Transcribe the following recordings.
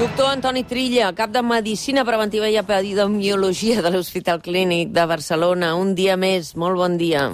Doctor Antoni Trilla, cap de Medicina Preventiva i Epidemiologia de l'Hospital Clínic de Barcelona. Un dia més, molt bon dia.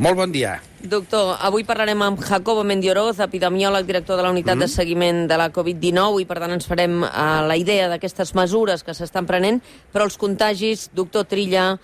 Molt bon dia. Doctor, avui parlarem amb Jacobo Mendioroz, epidemiòleg, director de la unitat de seguiment de la Covid-19, i per tant ens farem la idea d'aquestes mesures que s'estan prenent, però els contagis, doctor Trilla,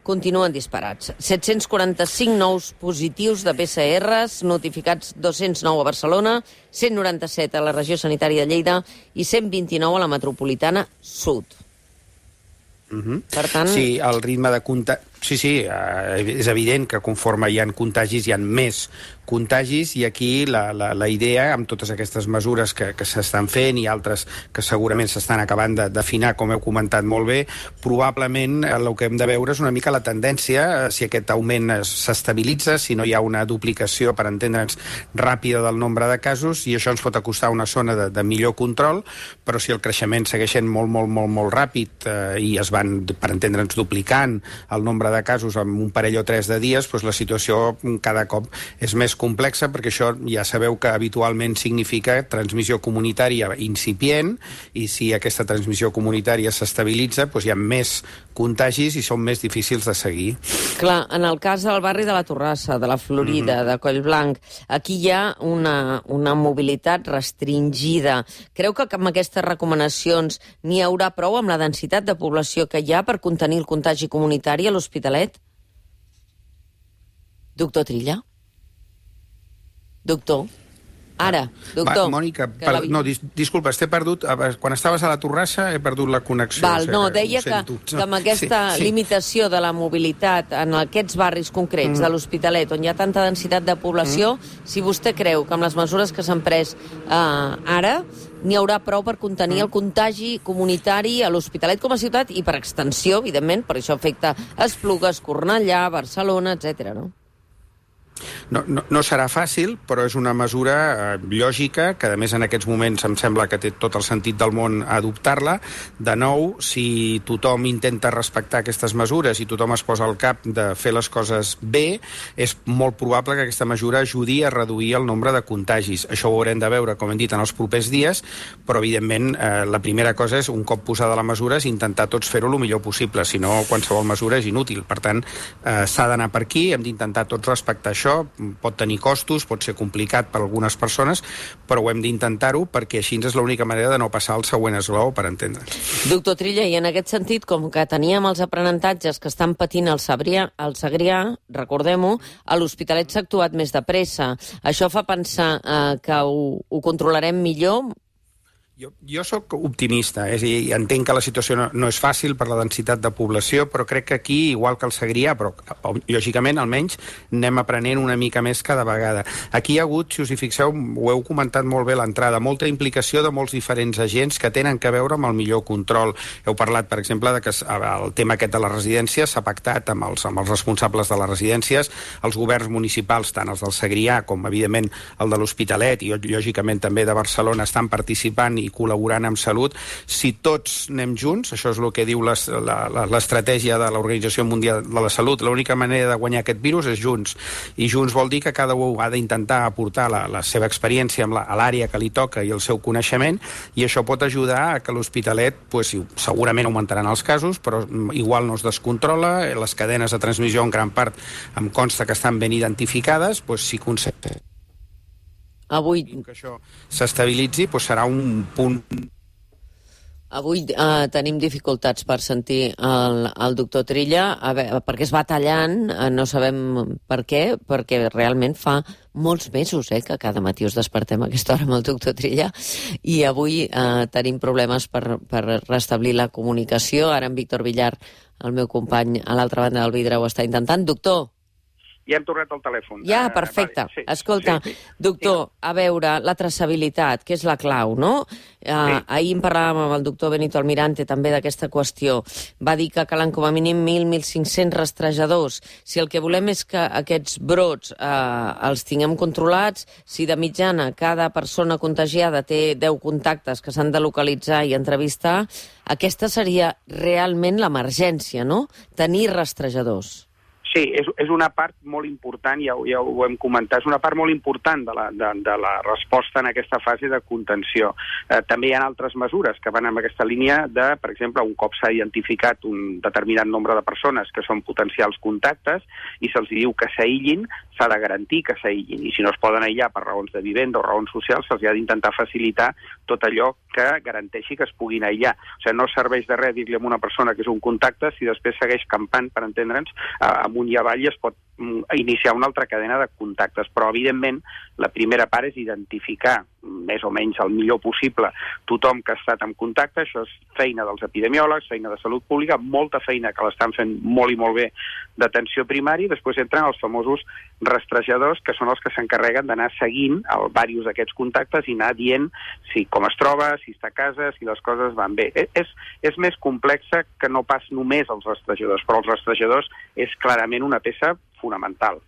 continuen disparats. 745 nous positius de PCRs, notificats 209 a Barcelona, 197 a la regió sanitària de Lleida i 129 a la metropolitana sud. Per tant... Sí, el ritme de contagi... Sí, és evident que conforme hi ha contagis hi ha més contagis, i aquí la idea, amb totes aquestes mesures que s'estan fent i altres que segurament s'estan acabant d'afinar, com heu comentat molt bé, probablement el que hem de veure és una mica la tendència, si aquest augment s'estabilitza, si no hi ha una duplicació, per entendre'ns, ràpida del nombre de casos, i això ens pot acostar una zona de millor control, però si el creixement segueix sent molt ràpid i es van, per entendre'ns, duplicant el nombre de casos en un parell o 3 de dies, doncs la situació cada cop és més complexa, perquè això ja sabeu que habitualment significa transmissió comunitària incipient, i si aquesta transmissió comunitària s'estabilitza, doncs hi ha més contagis i són més difícils de seguir. Clar, en el cas del barri de la Torrassa, de la Florida, de Collblanc, aquí hi ha una mobilitat restringida. Creu que amb aquestes recomanacions n'hi haurà prou amb la densitat de població que hi ha per contenir el contagi comunitari a l'Hospitalet? Doctor Trilla? Doctor? Ara, doctor. Mònica, disculpa, t'he perdut. Quan estaves a la Torrassa he perdut la connexió. Deia que amb aquesta limitació de la mobilitat en aquests barris concrets de l'Hospitalet, on hi ha tanta densitat de població, si vostè creu que amb les mesures que s'han pres ara n'hi haurà prou per contenir el contagi comunitari a l'Hospitalet com a ciutat i per extensió, evidentment, per això afecta Esplugues, Cornellà, Barcelona, etc. no? No serà fàcil, però és una mesura lògica, que a més en aquests moments em sembla que té tot el sentit del món adoptar-la. De nou, si tothom intenta respectar aquestes mesures i tothom es posa al cap de fer les coses bé, és molt probable que aquesta mesura ajudi a reduir el nombre de contagis. Això ho haurem de veure, com hem dit, en els propers dies, però evidentment la primera cosa és, un cop posada la mesura, és intentar tots fer-ho el millor possible, si no qualsevol mesura és inútil. Per tant, s'ha d'anar per aquí, hem d'intentar tots respectar això. Pot tenir costos, pot ser complicat per a algunes persones, però ho hem d'intentar-ho, perquè així és l'única manera de no passar al següent esglaó, per entendre. Doctor Trilla, i en aquest sentit, com que teníem els aprenentatges que estan patint al Segrià, recordem-ho, a l'Hospitalet s'ha actuat més de pressa. Això fa pensar que ho controlarem millor? Jo sóc optimista, és a dir, entenc que la situació no és fàcil per la densitat de població, però crec que aquí, igual que el Segrià, però lògicament almenys anem aprenent una mica més cada vegada. Aquí hi ha hagut, si us hi fixeu, ho heu comentat molt bé a l'entrada, molta implicació de molts diferents agents que tenen a veure amb el millor control. Heu parlat, per exemple, de que el tema aquest de les residències s'ha pactat amb els responsables de les residències, els governs municipals, tant els del Segrià com, evidentment, el de l'Hospitalet i, lògicament, també de Barcelona, estan participant i col·laborant amb Salut. Si tots anem junts, això és el que diu l'estratègia de l'Organització Mundial de la Salut, l'única manera de guanyar aquest virus és junts. I junts vol dir que cada un ha d'intentar aportar la seva experiència a l'àrea que li toca i el seu coneixement, i això pot ajudar a que l'Hospitalet, segurament augmentaran els casos, però igual no es descontrola, les cadenes de transmissió en gran part em consta que estan ben identificades, si concepte avui que això s'estabilitzi, serà un punt. Avui tenim dificultats per sentir el doctor Trilla, perquè es va tallant, no sabem per què, perquè realment fa molts mesos que cada matí us despertem a aquesta hora amb el doctor Trilla, i avui tenim problemes per restablir la comunicació. Ara en Víctor Villar, el meu company a l'altra banda del vidre, ho està intentant. Doctor, ja hem tornat al telèfon. Ja, perfecte. Vale, sí. Escolta, sí. Doctor, a veure, la traçabilitat, que és la clau, no? Ahir en parlàvem amb el doctor Benito Almirante també d'aquesta qüestió. Va dir que calen com a mínim 1.000-1.500 rastrejadors. Si el que volem és que aquests brots els tinguem controlats, si de mitjana cada persona contagiada té 10 contactes que s'han de localitzar i entrevistar, aquesta seria realment l'emergència, no? Tenir rastrejadors. Sí, és una part molt important, ja ho hem comentat, és una part molt important de la resposta en aquesta fase de contenció. També hi ha altres mesures que van en aquesta línia de, per exemple, un cop s'ha identificat un determinat nombre de persones que són potencials contactes i se'ls diu que s'aïllin, s'ha de garantir que s'aïllin. I si no es poden aïllar per raons de vivenda o raons socials, se'ls ha d'intentar facilitar tot allò que garanteixi que es puguin aïllar. O sigui, no serveix de res dir-li a una persona que és un contacte si després segueix campant, per entendre'ns, amunt i avall es pot iniciar una altra cadena de contactes. Però, evidentment, la primera part és identificar més o menys el millor possible tothom que ha estat en contacte. Això és feina dels epidemiòlegs, feina de salut pública, molta feina que l'estan fent molt i molt bé d'atenció primària. Després entren els famosos rastrejadors, que són els que s'encarreguen d'anar seguint diversos d'aquests contactes i anar dient com es troba, si està a casa, si les coses van bé. És més complexa que no pas només els rastrejadors, però els rastrejadors és clarament una peça fonamental.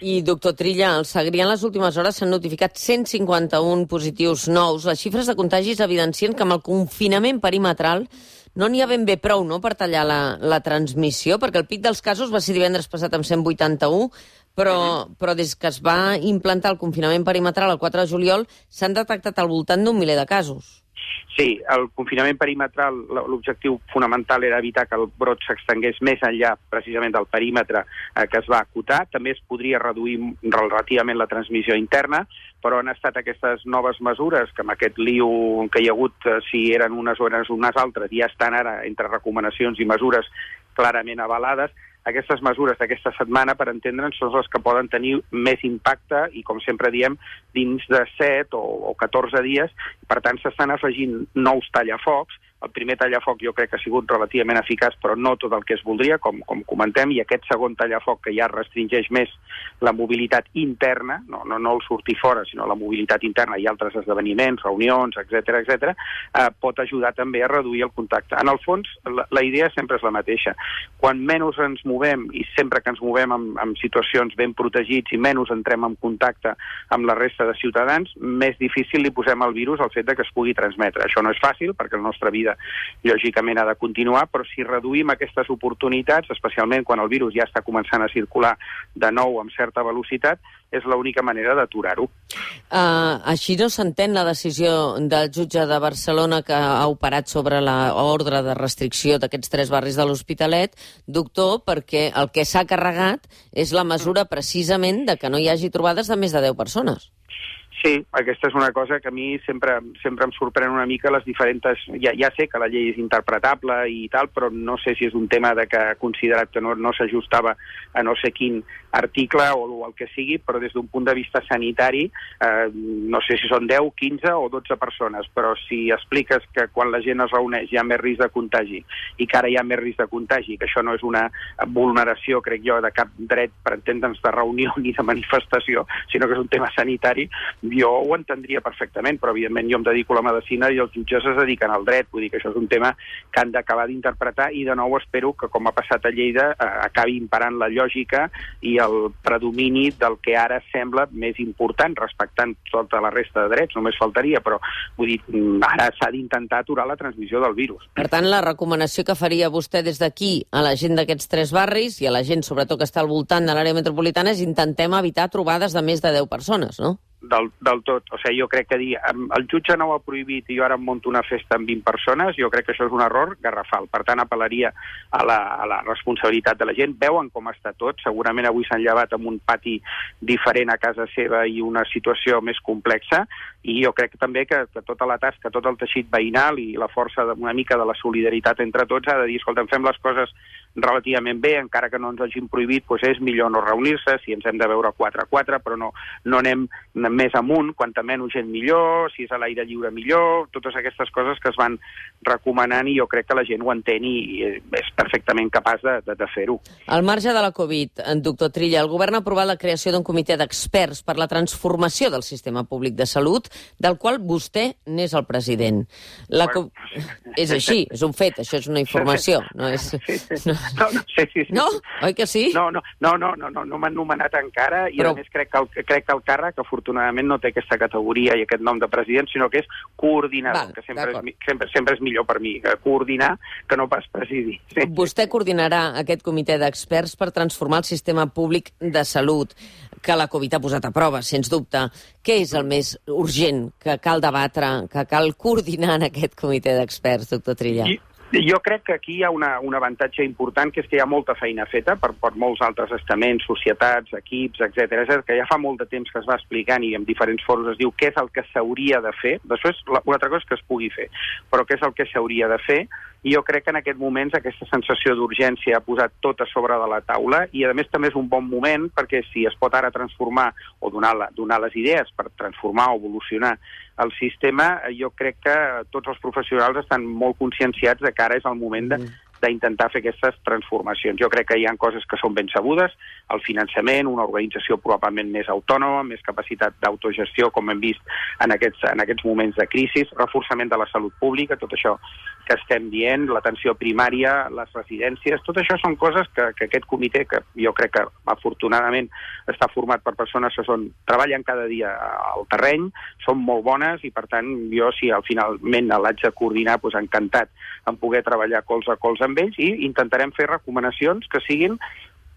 I, doctor Trilla, al Segrià en les últimes hores s'han notificat 151 positius nous. Les xifres de contagis evidencien que amb el confinament perimetral no n'hi ha ben bé prou, no?, per tallar la transmissió, perquè el pic dels casos va ser divendres passat amb 181, però des que es va implantar el confinament perimetral el 4 de juliol s'han detectat al voltant d'un miler de casos. Sí, el confinament perimetral, l'objectiu fonamental era evitar que el brot s'extengués més enllà precisament del perímetre que es va acotar. També es podria reduir relativament la transmissió interna, però han estat aquestes noves mesures que amb aquest lío que hi ha hagut, si eren unes o eren unes altres, ja estan ara entre recomanacions i mesures clarament avalades. Aquestes mesures d'aquesta setmana, per entendre'ns, són les que poden tenir més impacte i, com sempre diem, dins de 7 o 14 dies. Per tant, s'estan afegint nous tallafocs. El primer tallafoc jo crec que ha sigut relativament eficaç, però no tot el que es voldria, com comentem, i aquest segon tallafoc, que ja restringeix més la mobilitat interna, no el sortir fora, sinó la mobilitat interna i altres esdeveniments, reunions, etc., pot ajudar també a reduir el contacte. En el fons, la idea sempre és la mateixa. Quan menys ens movem, i sempre que ens movem en situacions ben protegits i menys entrem en contacte amb la resta de ciutadans, més difícil li posem al virus el fet de que es pugui transmetre. Això no és fàcil, perquè la nostra vida lògicament ha de continuar, però si reduïm aquestes oportunitats, especialment quan el virus ja està començant a circular de nou amb certa velocitat, és l'única manera d'aturar-ho. Així no s'entén la decisió del jutge de Barcelona que ha operat sobre l'ordre de restricció d'aquests 3 barris de l'Hospitalet, doctor, perquè el que s'ha carregat és la mesura precisament de que no hi hagi trobades de més de 10 persones. Sí, aquesta és una cosa que a mi sempre em sorprèn una mica les diferents... Ja sé que la llei és interpretable i tal, però no sé si és un tema de que ha considerat que no s'ajustava a no sé quin article o el que sigui, però des d'un punt de vista sanitari, no sé si són 10, 15 o 12 persones, però si expliques que quan la gent es reuneix hi ha més risc de contagi i que ara hi ha més risc de contagi, que això no és una vulneració, crec jo, de cap dret, per entendre'ns, de reunió ni de manifestació, sinó que és un tema sanitari, jo ho entendria perfectament, però evidentment jo em dedico a la medicina i els jutges es dediquen al dret, vull dir que això és un tema que han d'acabar d'interpretar i de nou espero que, com ha passat a Lleida, acabi imperant la lògica i el predomini del que ara sembla més important, respectant tota la resta de drets, només faltaria, però vull dir, ara s'ha d'intentar aturar la transmissió del virus. Per tant, la recomanació que faria vostè des d'aquí a la gent d'aquests 3 barris i a la gent, sobretot, que està al voltant de l'àrea metropolitana és intentem evitar trobades de més de 10 persones, no? Del tot. O sigui, jo crec que dir el jutge no ho ha prohibit i jo ara em monto una festa amb 20 persones, jo crec que això és un error garrafal. Per tant, apel·laria a la responsabilitat de la gent. Veuen com està tot. Segurament avui s'han llevat amb un pati diferent a casa seva i una situació més complexa. I jo crec també que tota la tasca, tot el teixit veïnal i la força una mica de la solidaritat entre tots ha de dir, escolta, fem les coses relativament bé, encara que no ens hagin prohibit, doncs és millor no reunir-se, si ens hem de veure 4 a 4, però no anem més amunt, quanta menys gent millor, si és a l'aire lliure millor, totes aquestes coses que es van recomanant i jo crec que la gent ho entén i és perfectament capaç de fer-ho. Al marge de la Covid, doctor Trilla, el govern ha aprovat la creació d'un comitè d'experts per la transformació del sistema públic de salut, del qual vostè n'és el president. És així, és un fet, això és una informació, no és... Sí. No? Oi que sí? No m'han nomenat encara i a més crec que el càrrec, afortunadament, afortunadament no té aquesta categoria i aquest nom de president, sinó que és coordinador, que sempre és millor per mi, coordinar que no pas presidir. Sí. Vostè coordinarà aquest comitè d'experts per transformar el sistema públic de salut, que la Covid ha posat a prova, sens dubte. Què és el més urgent que cal debatre, que cal coordinar en aquest comitè d'experts, doctor Trilla? Jo crec que aquí hi ha un avantatge important, que és que hi ha molta feina feta per molts altres estaments, societats, equips, etc. Que ja fa molt de temps que es va explicant i en diferents fòrums es diu què és el que s'hauria de fer. Després, una altra cosa és que es pugui fer, però què és el que s'hauria de fer? I jo crec que en aquest moments aquesta sensació d'urgència ha posat tot a sobre de la taula i, a més, també és un bon moment perquè si es pot ara transformar o donar les idees per transformar o evolucionar el sistema, jo crec que tots els professionals estan molt conscienciats de que ara és el moment d'intentar fer aquestes transformacions. Jo crec que hi ha coses que són ben sabudes, el finançament, una organització probablement més autònoma, més capacitat d'autogestió, com hem vist en aquests moments de crisi, reforçament de la salut pública, tot això que estem dient, l'atenció primària, les residències, tot això són coses que aquest comitè, que jo crec que afortunadament està format per persones que treballen cada dia al terreny, són molt bones i, per tant, jo, si finalment l'haig de coordinar, doncs encantat en poder treballar colze a colze amb ells i intentarem fer recomanacions que siguin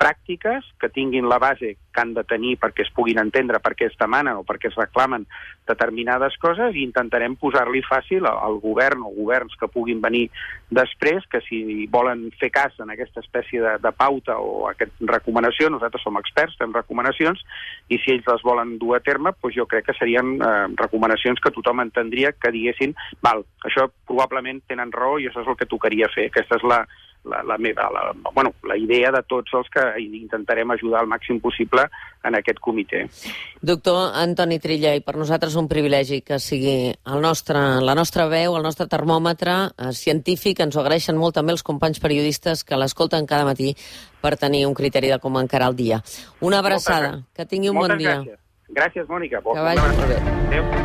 pràctiques, que tinguin la base que han de tenir perquè es puguin entendre per què es demanen o per què es reclamen determinades coses i intentarem posar-li fàcil al govern o governs que puguin venir després, que si volen fer cas en aquesta espècie de pauta o aquesta recomanació, nosaltres som experts, fem recomanacions, i si ells les volen dur a terme, doncs jo crec que serien recomanacions que tothom entendria que diguessin, val, això probablement tenen raó i això és el que tocaria fer. Aquesta és la idea de tots els que intentarem ajudar al màxim possible en aquest comitè. Doctor Antoni Trilla, i per nosaltres un privilegi que sigui la nostra veu, el nostre termòmetre científic. Ens ho agraeixen molt també els companys periodistes que l'escolten cada matí per tenir un criteri de com encarar el dia. Una abraçada, que tingui un bon dia. Gràcies, Mònica. Que vagi molt bé. Adéu.